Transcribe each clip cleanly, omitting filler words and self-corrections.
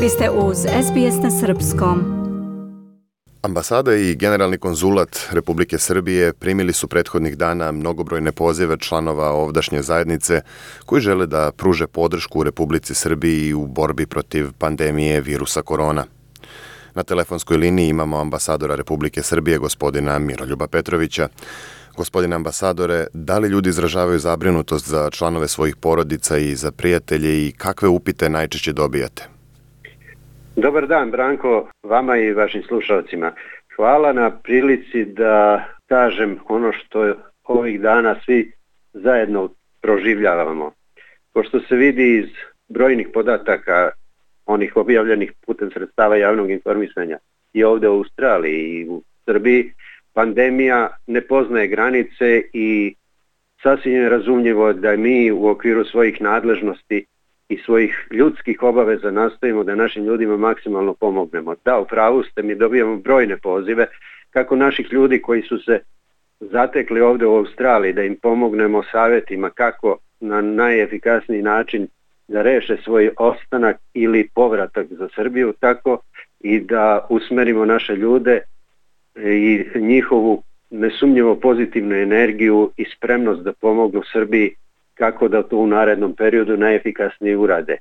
Vi ste uz SBS na Srpskom. Ambasada i generalni konzulat Republike Srbije primili su prethodnih dana mnogobrojne pozive članova ovdašnje zajednice koji žele da pruže podršku Republici Srbiji u borbi protiv pandemije virusa korona. Na telefonskoj liniji imamo ambasadora Republike Srbije, gospodina Miroljuba Petrovića. Gospodine ambasadore, da li ljudi izražavaju zabrinutost za članove svojih porodica i za prijatelje i kakve upite najčešće dobijate? Dobar dan, Branko, vama i vašim slušalcima. Hvala na prilici da kažem ono što ovih dana svi zajedno proživljavamo. Pošto se vidi iz brojnih podataka, onih objavljenih putem sredstava javnog informisanja i ovdje u Australiji i u Srbiji, pandemija ne poznaje granice i sasvim je razumljivo da mi u okviru svojih nadležnosti i svojih ljudskih obaveza nastojimo da našim ljudima maksimalno pomognemo. Da, u pravu ste, mi dobijamo brojne pozive kako naših ljudi koji su se zatekli ovdje u Australiji, da im pomognemo savjetima kako na najefikasniji način da reše svoj ostanak ili povratak za Srbiju, tako i da usmerimo naše ljude i njihovu nesumnjivo pozitivnu energiju i spremnost da pomognu Srbiji kako da to u narednom periodu najefikasnije urade.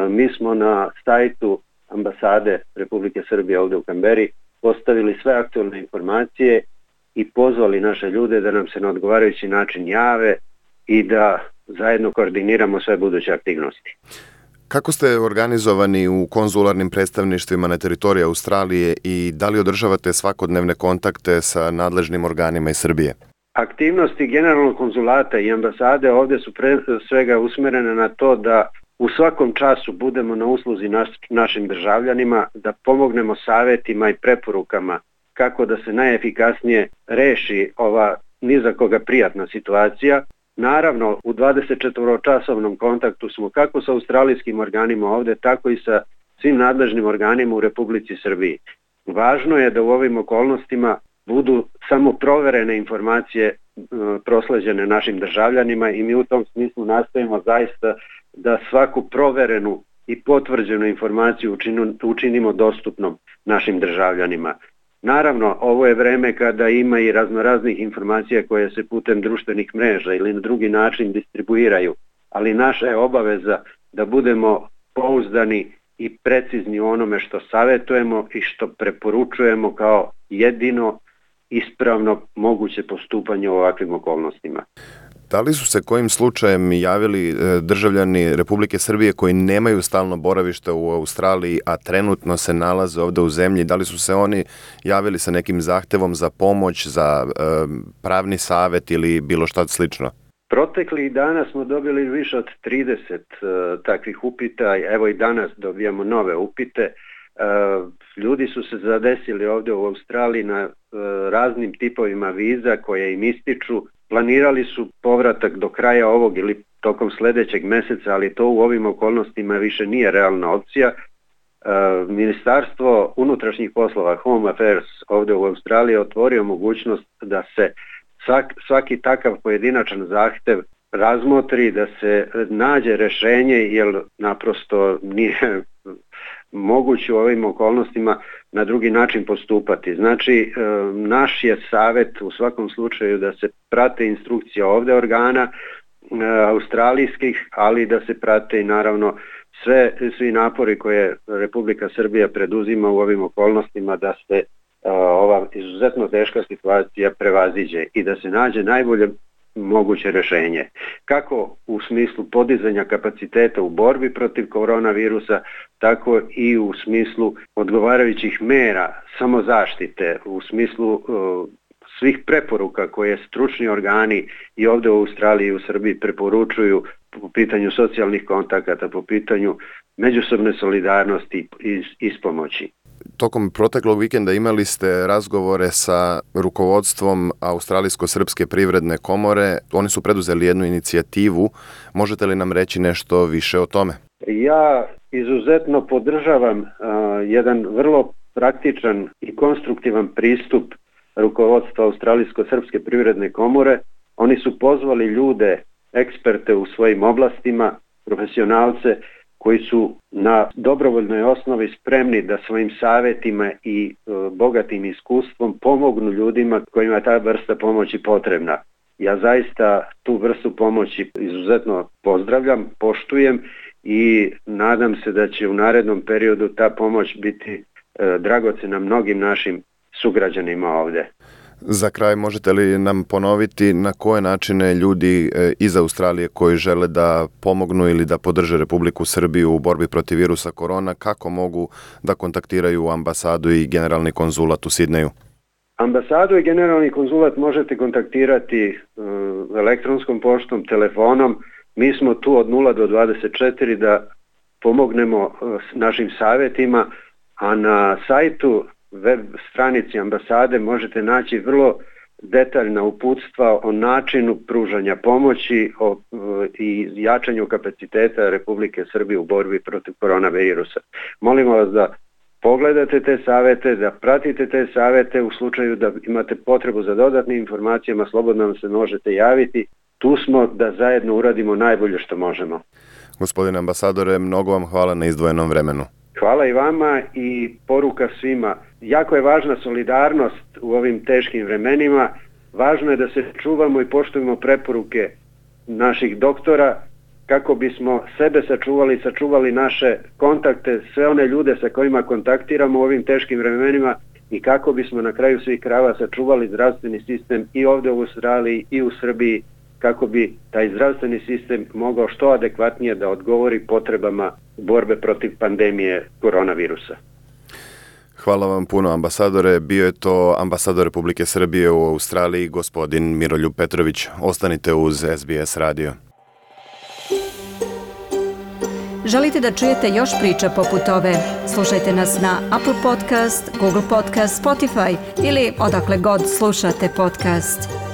Mi smo na sajtu ambasade Republike Srbije ovdje u Kamberi postavili sve aktualne informacije i pozvali naše ljude da nam se na odgovarajući način jave i da zajedno koordiniramo sve buduće aktivnosti. Kako ste organizovani u konzularnim predstavništvima na teritoriji Australije i da li održavate svakodnevne kontakte sa nadležnim organima iz Srbije? Aktivnosti generalnog konzulata i ambasade ovdje su pre svega usmjerene na to da u svakom času budemo na usluzi našim državljanima, da pomognemo savjetima i preporukama kako da se najefikasnije reši ova ni za koga prijatna situacija. Naravno, u 24-časovnom kontaktu smo kako sa australijskim organima ovdje, tako i sa svim nadležnim organima u Republici Srbiji. Važno je da u ovim okolnostima budu samo proverene informacije prosleđene našim državljanima i mi u tom smislu nastojimo zaista da svaku proverenu i potvrđenu informaciju učinimo dostupnom našim državljanima. Naravno, ovo je vreme kada ima i raznoraznih informacija koje se putem društvenih mreža ili na drugi način distribuiraju, ali naša je obaveza da budemo pouzdani i precizni u onome što savjetujemo i što preporučujemo kao jedino ispravno moguće postupanje u ovakvim okolnostima. Da li su se kojim slučajem javili državljani Republike Srbije koji nemaju stalno boravište u Australiji, a trenutno se nalaze ovdje u zemlji? Da li su se oni javili sa nekim zahtevom za pomoć, za pravni savjet ili bilo šta slično? Proteklih dana smo dobili više od 30 takvih upita, evo i danas dobijamo nove upite. Ljudi su se zadesili ovdje u Australiji na raznim tipovima viza koje im ističu. Planirali su povratak do kraja ovog ili tokom sljedećeg mjeseca, ali to u ovim okolnostima više nije realna opcija. Ministarstvo unutrašnjih poslova, Home Affairs ovdje u Australiji otvorio mogućnost da se svaki takav pojedinačan zahtjev razmotri, da se nađe rješenje, jer naprosto nije moguće u ovim okolnostima na drugi način postupati. Znači, naš je savjet u svakom slučaju da se prate instrukcije ovdje organa australijskih, ali da se prate i naravno svi napori koje Republika Srbija preduzima u ovim okolnostima da se ova izuzetno teška situacija prevaziđe i da se nađe najbolje moguće rješenje. Kako u smislu podizanja kapaciteta u borbi protiv koronavirusa, tako i u smislu odgovarajućih mera samozaštite, u smislu svih preporuka koje stručni organi i ovdje u Australiji i u Srbiji preporučuju po pitanju socijalnih kontakata, po pitanju međusobne solidarnosti i ispomoći. Tokom proteklog vikenda imali ste razgovore sa rukovodstvom Australijsko-srpske privredne komore. Oni su preduzeli jednu inicijativu. Možete li nam reći nešto više o tome? Ja izuzetno podržavam jedan vrlo praktičan i konstruktivan pristup rukovodstva Australijsko-srpske privredne komore. Oni su pozvali ljude, eksperte u svojim oblastima, profesionalce, koji su na dobrovoljnoj osnovi spremni da svojim savjetima i bogatim iskustvom pomognu ljudima kojima je ta vrsta pomoći potrebna. Ja zaista tu vrstu pomoći izuzetno pozdravljam, poštujem i nadam se da će u narednom periodu ta pomoć biti dragocjena mnogim našim sugrađanima ovdje. Za kraj, možete li nam ponoviti na koje načine ljudi iz Australije koji žele da pomognu ili da podrže Republiku Srbiju u borbi protiv virusa korona, kako mogu da kontaktiraju ambasadu i generalni konzulat u Sidneju? Ambasadu i generalni konzulat možete kontaktirati elektronskom poštom, telefonom. Mi smo tu od 0 do 24 da pomognemo našim savjetima, a na sajtu web stranici ambasade možete naći vrlo detaljna uputstva o načinu pružanja pomoći i jačanju kapaciteta Republike Srbije u borbi protiv koronavirusa. Molimo vas da pogledate te savjete, da pratite te savjete. U slučaju da imate potrebu za dodatnim informacijama, slobodno nam se možete javiti. Tu smo da zajedno uradimo najbolje što možemo. Gospodine ambasadore, mnogo vam hvala na izdvojenom vremenu. Hvala i vama i poruka svima. Jako je važna solidarnost u ovim teškim vremenima. Važno je da se čuvamo i poštujemo preporuke naših doktora kako bismo sebe sačuvali naše kontakte, sve one ljude sa kojima kontaktiramo u ovim teškim vremenima i kako bismo na kraju svih krajeva sačuvali zdravstveni sistem i ovdje u Australiji i u Srbiji, kako bi taj zdravstveni sistem mogao što adekvatnije da odgovori potrebama borbe protiv pandemije koronavirusa. Hvala vam puno, ambasadore. Bio je to ambasador Republike Srbije u Australiji, gospodin Miroljub Petrović. Ostanite uz SBS radio. Želite da čujete još priča poput ove? Slušajte nas na Apple Podcast, Google Podcast, Spotify ili odakle god slušate podcast.